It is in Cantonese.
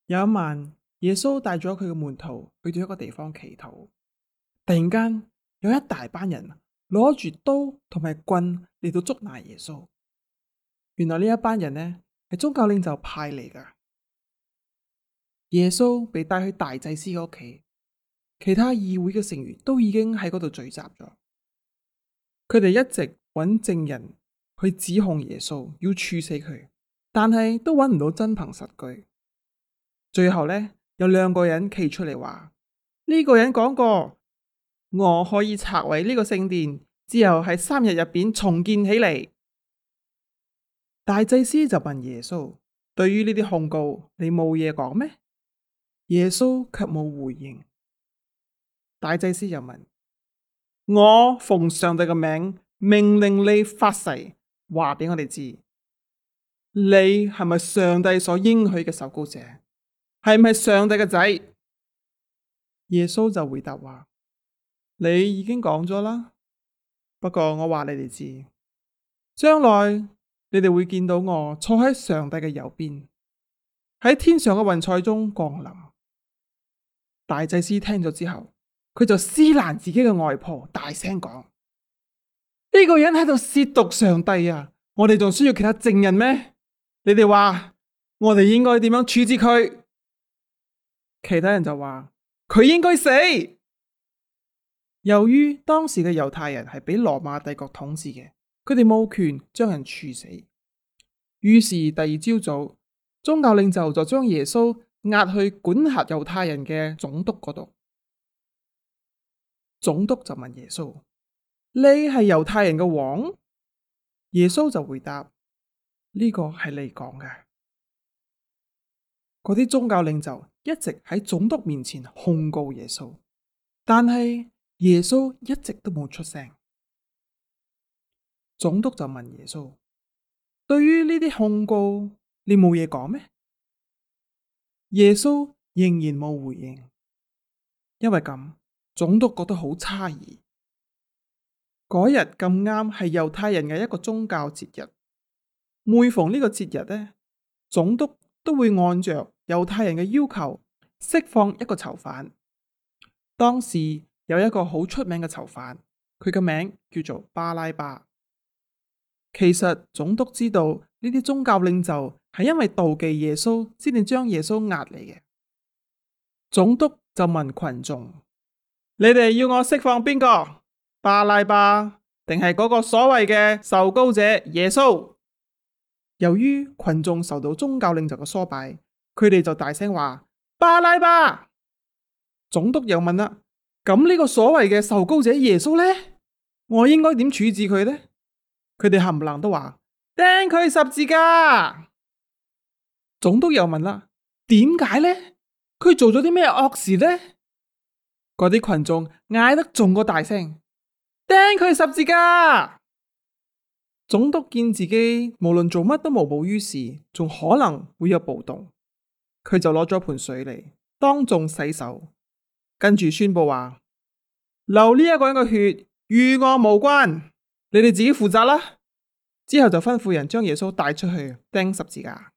有一晚，耶穌帶咗佢嘅門徒去到一個地方祈禱。突然間，有一大班人攞住刀同埋棍嚟到捉拿耶穌。原來呢一班人呢係宗教領袖派嚟噶。耶穌被帶去大祭司嘅屋企，其他議會嘅成員都已經喺嗰度聚集咗。佢哋一直揾證人去指控耶穌，要處死佢，但係都揾唔到真憑實據。最後呢，有兩個人企出嚟話：呢個人講過，我可以拆毀呢個聖殿，之後喺3日入邊重建起嚟。大祭司就問耶穌：對於呢啲控告，你冇嘢講咩？耶穌卻冇回應。大祭司又問：我奉上帝嘅名命令你發誓，話俾我哋知，你係咪上帝所應許嘅受膏者？係唔係上帝嘅仔？耶穌就回答話：你已經講咗啦。不過我話你哋知，將來你哋會見到我坐喺上帝嘅右邊，喺天上嘅雲彩中降臨。大祭司聽咗之後，佢就撕爛自己嘅外袍，大聲講：呢個人喺度褻瀆上帝啊！我哋仲需要其他證人咩？你哋話我哋應該點樣處置佢？其他人就話佢應該死。由於當時嘅猶太人係俾羅馬帝國統治嘅，佢哋冇權將人處死。於是第二朝早，宗教領袖就將耶穌押去管轄猶太人嘅總督嗰度。總督就問耶穌：你係猶太人嘅王？耶穌就回答：呢個係你講嘅。嗰啲宗教領袖一直喺總督面前控告耶穌，但係耶穌一直都冇出聲。總督就問耶穌：對於呢啲控告，你冇嘢講咩？耶穌仍然冇回應。因為咁，總督覺得好詫異。嗰日咁啱係猶太人嘅一個宗教節日，每逢呢個節日呢，總督都會按着猶太人嘅要求釋放一個囚犯。當時有一個好出名嘅囚犯，佢嘅名叫做巴拉巴。其實總督知道呢啲宗教領袖係因為妒忌耶穌先至將耶穌押嚟嘅。總督就問群眾：你哋要我釋放邊個？巴拉巴定係嗰個所謂嘅受膏者耶穌？由於群眾受到宗教領袖嘅唆擺，佢哋就大聲話：巴拉巴！總督又問啦：咁呢個所謂嘅受膏者耶穌呢？我應該點處置佢呢？佢哋冚唪唥都話：釘佢十字架！總督又問啦：點解呢？佢做咗啲咩惡事呢？嗰啲群眾嗌得仲過大聲：釘佢十字架！總督見自己無論做乜都無補於事，仲可能會有暴動，佢就攞咗盆水嚟當眾洗手，跟住宣布話：流呢一個人嘅血與我無關，你哋自己負責啦。之後就吩咐人將耶穌帶出去釘十字架。